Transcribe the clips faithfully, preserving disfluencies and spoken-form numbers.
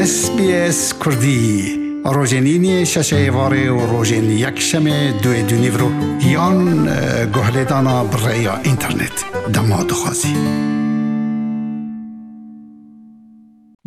S B S Kurdî rojên îniyê şeşê êvarê û rojên yekşemê duê du nîvro yan guhlêdana bi rêya înternet dema dixwazî.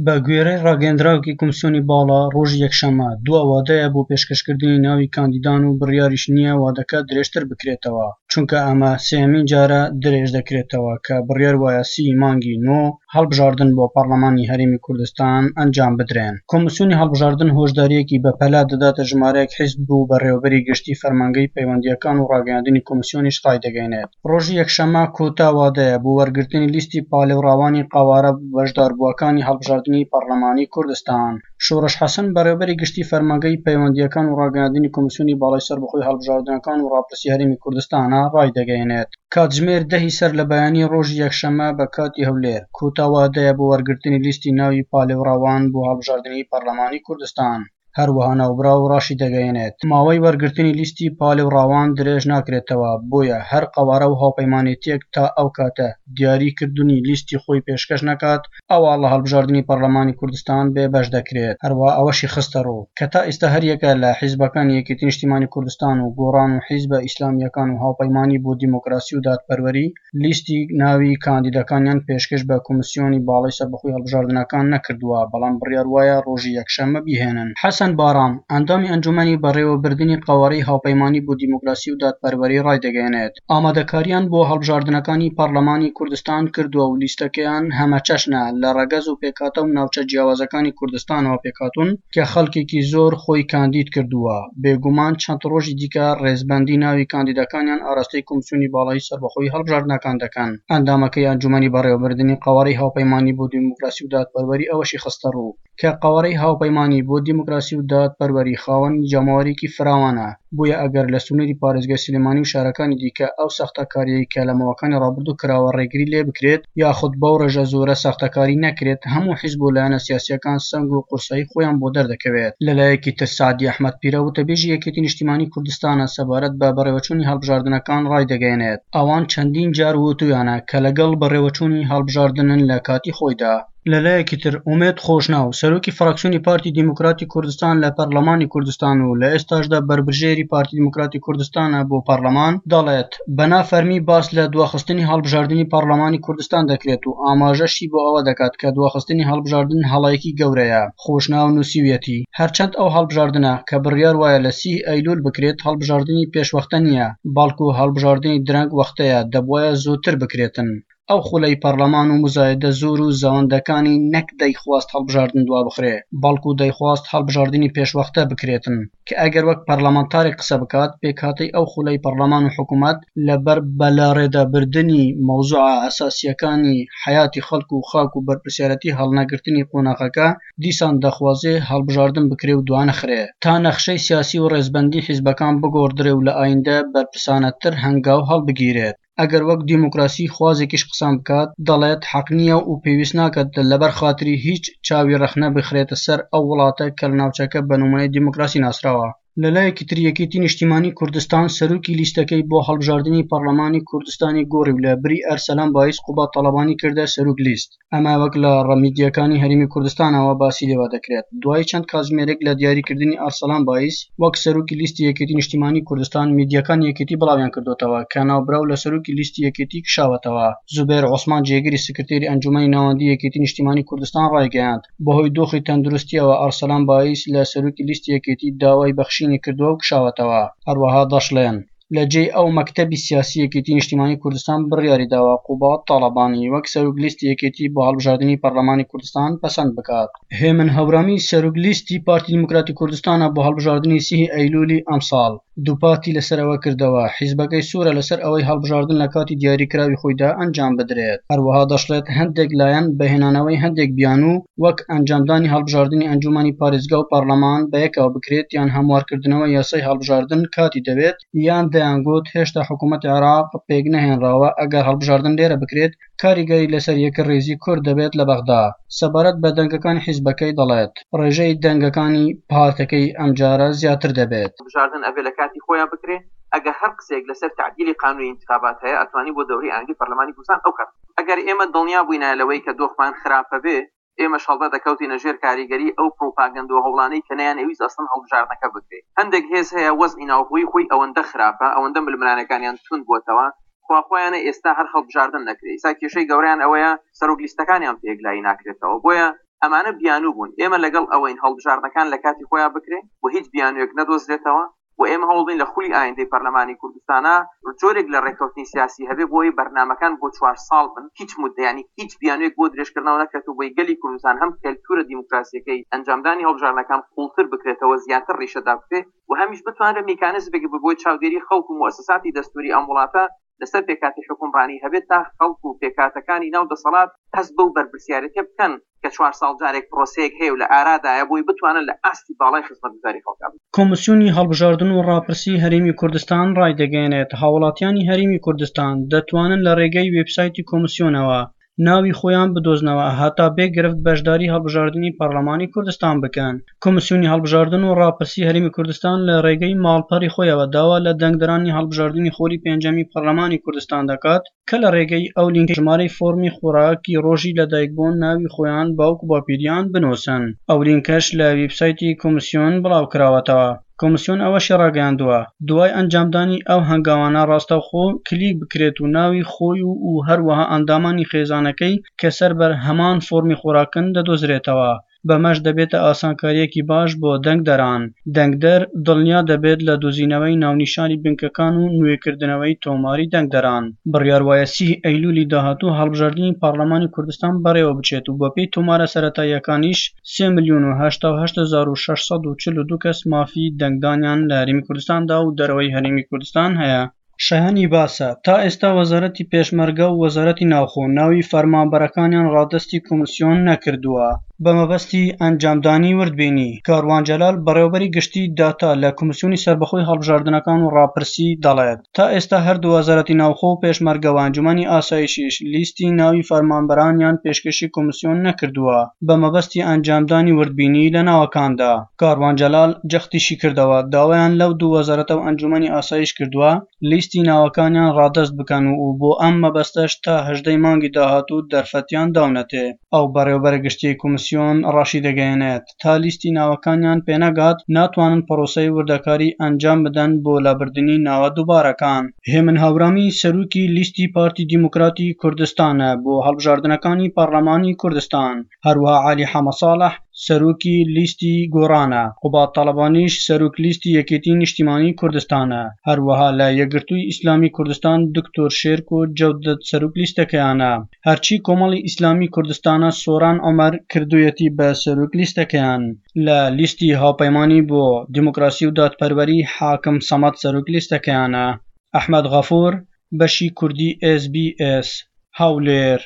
بە گوێرەی ڕاگەیەندراوێکی کۆمسیۆنی باڵا، ڕۆژی یەکشەممە دوا وادەیە بۆ پێشکەشکردنی ناوی کاندیدان و بڕیاریش نییە وادەکە درێژتر بکرێتەوە، چونکە ئەمە سێیەمین جارە درێژ دەکرێتەوە کە بڕیار وایە سی مانگی نۆ هەڵبژاردن بۆ پەرلەمانی هەرێمی کوردستان ئەنجام بدرێن. کۆمسیۆنی هەڵبژاردن هۆشدارییەکی بەپەلە دەداتە ژمارەیەک حیزب و بەڕێوەبەری گشتی فەرمانگەی پەیوەندییەکان و ڕاگەیاندنی کۆمسیۆنیش ڕایدەگەیەنێت ڕۆژی یەکشەممە کۆتا وادەیە بۆ وەرگرتنی لیستی پاڵێوراوانی قەوارە بەشداربووەکانی هەڵبژاردنی پەرلەمانی کوردستان. شۆڕش حەسەن، بەڕێوەبەری گشتی فەرمانگەی پەیوەندییەکان و ڕاگەیاندنی کۆمسیۆنی باڵای سەربەخۆی هەڵبژاردنەکان و ڕاپرسی هەرێمی کوردستانە، ڕایدەگەیەنێت کاتژمێر دەهی سەر لە بەیانی ڕۆژی یەکشەممە بە کاتی هەولێر کۆتا وادەیە بۆ وەرگرتنی لیستی ناوی پاڵێوراوان بۆ هەڵبژاردنی پەرلەمانی کوردستان. هەروەها ناوبراو ڕاشی دەگەیەنێت ماوەی وەرگرتنی لیستی پاڵێوراوان درێژ ناکرێتەوە، بۆیە هەر قەوارە و هاوپەیمانێتیەک تا ئەو کاتە دیاری کردنی لیستی خۆی پێشکەش نەکات ئەوا لە هەڵبژاردنی پەرلەمانی کوردستان بێبەش دەکرێت. هەروەها ئەوەشی خستەڕوو کە تا ئێستا هەریەکە لە حیزبەکانی یەکێتی نیشتیمانی کوردستان و گۆڕان و حیزبە ئیسلامییەکان و هاوپەیمانی بۆ دیموکراسی و دادپەروەری لیستی ناوی کاندیدەکانیان پێشکەش بە کۆمسیۆنی باڵای سەربەخۆی هەڵبژاردنەکان نەکردووە، بەڵام بڕیار وایە ڕۆژی یەکشەممە بیهێنن. حەسەن بارام، ئەندامی ئەنجومەنی بەڕێوەبردنی قەوارەی هاوپەیمانی بۆ دیموکراسی و دادپەروەری، ڕایدەگەیەنێت ئامادەکاریان بۆ هەڵبژاردنەکانی پەرلەمانی کوردستان کردووە و لیستەکەیان هەمەچەشنە، لە ڕەگەز و پێکهاتە و ناوچە جیاوازەکانی کوردستانەوە پێکهاتوون کە خەڵکێکی زۆر خۆی کاندید کردووە، بێگومان چەند ڕۆژی دیکە ڕێزبەندی ناوی کاندیدەکانیان ئاراستەی کۆمسیۆنی باڵای سەربەخۆی هەڵبژاردنەکان دەکەن. ئەندامەکەی ئەنجومەنی بەڕێوەبردنی قەوارەی هاوپەیمانی بۆ دیموکراسی و دادپەروەری ئەوەشی خستەڕوو کە قەوارەی هاوپەیمانی بۆ دیموکراسی و دادپەروەری خاوەنی جەماوەرێکی فراوانە، بۆیە ئەگەر لە سنووری پارێزگای سلێمانی و شارەکانی دیکە ئەو ساختەکارییەی کە لە ماوەکانی ڕابردوو کراوە ڕێگری لێ بکرێت یاخود بەو ڕێژە زۆرە ساختەکاری نەکرێت، هەموو حیزب و لایەنە سیاسییەکان سەنگ و قورسایی خۆیان بۆ دەردەکەوێت. لەلایەکی تر سەعدی ئەحمەد پیرە، وتەبێژی یەکێتی نیشتیمانی کوردستانە، سەبارەت بە بەڕێوەچوونی هەڵبژاردنەکان ڕایدەگەیەنێت ئەوان چەندین جار وتوویانە کە لەگەڵ بەڕێوەچوونی هەڵبژاردنن لە کاتی خۆیدا. لەلایەکی تر ئومێد خۆشناو، سەرۆکی فراکسیۆنی پارتی دیموکراتی کوردستان لە پەرلەمانی کوردستان و لە ئێستاشدا بەربژێری پارتی دیموکراتی کوردستانە بۆ پەرلەمان، دەڵێت بە نافەرمی باس لە دواخستنی هەڵبژاردنی پەرلەمانی کوردستان دەکرێت و ئاماژەشی بۆ ئەوە دەکات کە دواخستنی هەڵبژاردن هەڵەیەکی گەورەیە. خۆشناو نووسیویەتی هەرچەند ئەو هەڵبژاردنە کە بڕیار وایە لە سی ئەیلول بکرێت هەڵبژاردنی پێشوەختە نییە، بەڵکو هەڵبژاردنی درەنگ وەختەیە، دەبوایە زووتر بکرێتن. ئەو خولەی پەرلەمان و مزایدە زۆر و زەوەندەکانی نەک دەیخواست هەڵبژاردن دوابخرێ، بەڵکو دەیخواست هەڵبژاردنی پێشوەختە بکرێتن، کە ئەگەر وەک پەرلەمانتارێک قسە بکات پێکهاتەی ئەو خولەی پەرلەمان و حکوومەت لەبەر بەلاڕێدابردنی مەوزوعە ئەساسییەکانی حەیاتی خەڵک و خاک و بەرپرسیارەتی هەڵنەگرتنی قۆناغەکە دیسان دەخوازێ هەڵبژاردن بکرێ و دوانەخرێ تا نەخشەی سیاسی و ڕێزبەندی حیزبەکان بگۆڕدرێ و لە ئایندە بەرپرسانەتر هەنگاو هەڵبگیرێت. ئەگەر وەک دیموکراسی خوازێکیش قسان بکات دەڵێت حەق نییە و پێویست ناکات لەبەر خاتری هیچ چاوی ڕەخنە بخرێتە سەر ئەو وڵاتە کە لە ناوچەکە بە نمونەی دیموکراسی ناسراوە. لەلایەکی تر یەکێتی نیشتیمانی کوردستان سەرۆکی لیستەکەی بۆ هەڵبژاردنی پەرلەمانی کوردستانی گۆڕی و لە بری ئەرسەلان بایز قوباد تاڵەبانی کردە سەرۆک لیست. ئەمە وەک لە میدیاکانی هەرێمی کوردستانەوە باسی لێوە دەکرێت. دوای چەند کاتژمێرێک لە دیاریکردنی ئەرسەلان بایز وەک سەرۆکی لیستی یەکێتی نیشتیمانی کوردستان، میدیاکانی یەکێتی بڵاویان کردوتەوە کە ناوبراو لە سەرۆکی لیستی یەکێتی کشاوەتەوە. زوبێر عوسمان، جێگری سکرتێری ئەنجومەنی ناوەندی یەکێتی نیشتیمانی کوردستان، ڕایگەیاند بەهۆی دۆخی تەندروستیەوە ئەرسەلان بایز لە سەرۆکی لیستی یەکێتی داوای بەخشینی کردووە و کشاوەتەوە. هەروەها دەشڵێن لە جێی ئەو مەکتەبی سیاسی یەکێتی نیشتیمانی کوردستان بڕیاری داوە قوباد تاڵەبانی وەک سەرۆک لیستی یەکێتی بۆ هەڵبژاردنی پەرلەمانی کوردستان پەسەند بکات. هێمن هەورامی، سەرۆک لیستی پارتی دیموکراتی کوردستانە بۆ هەڵبژاردنی سی ئەیلولی ئەمساڵ، دووپاتی لەسەر ئەوە کردەوە حیزبەکەی سوورە لەسەر ئەوەی هەڵبژاردن لە کاتی دیاریکراوی خۆیدا ئەنجام بدرێت. هەروەها دەشڵێت هەندێک لایەن بە هێنانەوەی هەندێک بیانوو وەک ئەنجامدانی هەڵبژاردنی ئەنجومەنی پارێزگا و پەرلەمان بەیەکەوە بکرێت یان هەموارکردنەوە یاسای هەڵبژاردن کاتی دەوێت، یان دەیانگوت هێشتا حکوومەتی عێراق پێک نەهێنراوە، ئەگەر هەڵبژاردن لێرە بکرێت کاریگەری لەسەر یەکڕیزی کورد دەبێت لە بەغدا. سەبارەت بە دەنگەکانی حیزبەکەی دەڵێت ڕێژەی دەنگەکانی پارتەکەی ئەمجارە زیاتر دەبێت. بژاردن ئەبێ لە کاتی خۆیان بکرێ. ئەگەر هەر قسەیەک لەسەر تەعدیلی قانونی ئینتخابات هەیە، ئەتوانی بۆ دەورەی ئایندەی پەرلەمانی کوردستان ئەو کات. ئەگەر ئێمە دڵنیا بووینە لەوەی کە دۆخمان خراپە بێ، ئێمەش هەڵبەت دەکەوتینە ژێر کاریگەری ئەو پروپاگەندە و هەوڵانەی کە نەیانەویست ئەسڵەن هەڵبژاردنەکە بکرێ. هەندێک هێز هەیە وەزعی ناوخۆیی خۆی ئەوەندە خراپە، ئەوەندە ململانێکانیان توند بووەتەوە، خواخوایانە ئێستا هەر هەڵبژاردن نەکرێ. ئێستا کێشەی گەورەیان ئەوەیە سەرۆک لیستەکانیان پێ یەکلایی ناکرێتەوە. بۆیە ئەمانە بیانوو بوون. ئێمە لەگەڵ ئەوەین هەڵبژاردنەکان لە کاتی خۆیان بکرێ و هیچ بیانوویەک نەدۆزرێتەوە و ئێمە هەوڵبین لە خولی ئایندەی پەرلەمانی کوردستانە جۆرێک لە ڕێککەوتنی سیاسی هەبێ بۆی بەرنامەکان بۆ چوار ساڵ بن، هیچ مدە ینی هیچ بیانوویەک بۆ درێژکردنەوە نەکرێت و بۆی گەلی کوردستان هەم کەلتورە دیموکراسیەکەی ئەنجامدانی هەڵبژاردنەکان قوڵتر بکرێتەوە، زیاتر ڕیشەدا بکرێت و هەمیش بتوانرێت میکانیزمێک بۆی چاودێری خەڵک و موئەسەساتی دەستوری ئەم وڵاتە لەسەر پێکاتی حکومڕانی هەبێت تا خەڵک و پێکاتەکانی ناو دەسەڵات هەست بەو بەرپرسیارێتیە بکەن کە چوار ساڵ جارێک پرۆسەیەک هەیە و لە ئارادایە بۆی بتوانن لە ئاستی باڵای خزمەتگوزاری خەڵکا بن. کۆمیسیۆنی هەڵبژاردن و ڕاپرسی هەرێمی کوردستان ڕایدەگەیەنێت، هاوڵاتیانی هەرێمی کوردستان دەتوانن لە ڕێگەی وێبسایتی کۆمیسیۆنەوە ناوی خۆیان بدۆزنەوە هەتا بێ گرفت بەشداری هەڵبژاردنی پەرلەمانی کوردستان بکەن. کۆمیسیۆنی هەڵبژاردن و ڕاپرسی هەرێمی کوردستان لە ڕێگەی ماڵپەڕی خۆیەوە داوا لە دەنگدەرانی هەڵبژاردنی خولی پێنجەمی پەرلەمانی کوردستان دەکات کە لە ڕێگەی ئەو لینکەی ژمارەی فۆرمی خۆراکی ڕۆژی لەدایکبوون ناوی خۆیان باوک و باپیریان بنووسن. ئەو لینکەش لە وێبسایتی کۆمیسیۆن بڵاوکراوەتەوە. کۆمیسیۆن ئەوەشی ڕاگەیاندووە، دوای ئەنجامدانی ئەو هەنگاوانە ڕاستەوخۆ کلیک بکرێت و ناوی خۆی و هەروەها ئەندامانی خێزانەکەی کە سەر بە هەمان فۆرمی خۆراکن دەدۆزرێتەوە. بەمەش دەبێتە ئاسانکاریەکی باش بۆ دەنگدەران. دەنگدەر دڵنیا دەبێت لە دۆزینەوەی ناونیشانی بنکەکان و نوێکردنەوەی تۆماری دەنگدەران. بڕیار وایە سی ئەیلولی داهاتوو هەڵبژاردنی پەرلەمانی کوردستان بەڕێوە بچێت و بەپێی تۆمارە سەرەتاییەکانیش سێ ملیۆن و هەشتا و هەشت هەزار و شەش سەد و چل و دوو کەس مافی دەنگدانیان لە هەرێمی کوردستاندا و دەرەوەی هەرێمی کوردستان هەیە. شایانی باسە تا ئێستا وەزارەتی پێشمەرگە و وەزارەتی ناوخۆ ناوی فەرمانبەرەکانیان ڕادەستی کۆمیسیۆن نەکردووە بە مەبەستی ئەنجامدانی وردبینی. کاروان جەلال بەڕێوەبەری گشتی داتا لە کۆمیسیۆنی سەربەخۆی هەڵبژاردنەکان و ڕاپرسی دەڵێت تا ئێستا هەردوو وەزارەتی ناوخۆ و پێشمەرگە و ئەنجومەنی ئاسایشیش لیستی ناوی فەرمانبەرانیان پێشکەشی کۆمیسیۆن نەکردووە بە مەبەستی ئەنجامدانی وردبینی لە ناوەکاندا. کاروان جەلال جەختیشی کردەوە داوایان لەو دوو وەزارەتە و ئەنجومەنی ئاسایش کردووە لیستی ناوەکانیان ڕادەست بکەن و بۆ ئەم مەبەستەش تا هەژدەی مانگی داهاتوو دەرفەتیان داونەتێ. ئەو بەڕێوەبەرە گشتیەی کۆمیسیۆن ڕاشی دەگەیەنێت تا لیستی ناوەکانیان پێنەگات ناتوانن پرۆسەی وردەکاری ئەنجام بدەن بۆ لابردنی ناوە دووبارەکان. هێمن هاورامی سەرۆکی لیستی پارتی دیموکراتی کوردستانە بۆ هەڵبژاردنەکانی پەرلەمانی کوردستان. هەروەها عەلی حەمەساڵح سەرۆکی لیستی گۆڕانە، قوباد تاڵەبانیش سەرۆک لیستی یەکێتی نیشتیمانی کوردستانە. هەروەها لە یەکگرتووی ئیسلامی کوردستان دکتۆر شێرکۆ جەودەت سەرۆک لیستەکەیانە. هەرچی کۆمەڵی ئیسلامی کوردستانە سۆران عومەر کردوویەتی بە سەرۆک لیستەکەیان. لە لیستی هاوپەیمانی بۆ دیموکراسی و دادپەروەری حاکم سەمەد سەرۆک لیستەکەیانە. ئەحمەد غەفور، بەشی کوردی ئێس بی ئێس، هەولێر.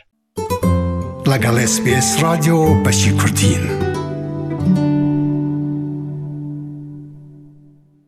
لەگەڵ ئێس بی ئێس ڕادیۆ بەشی کوردین.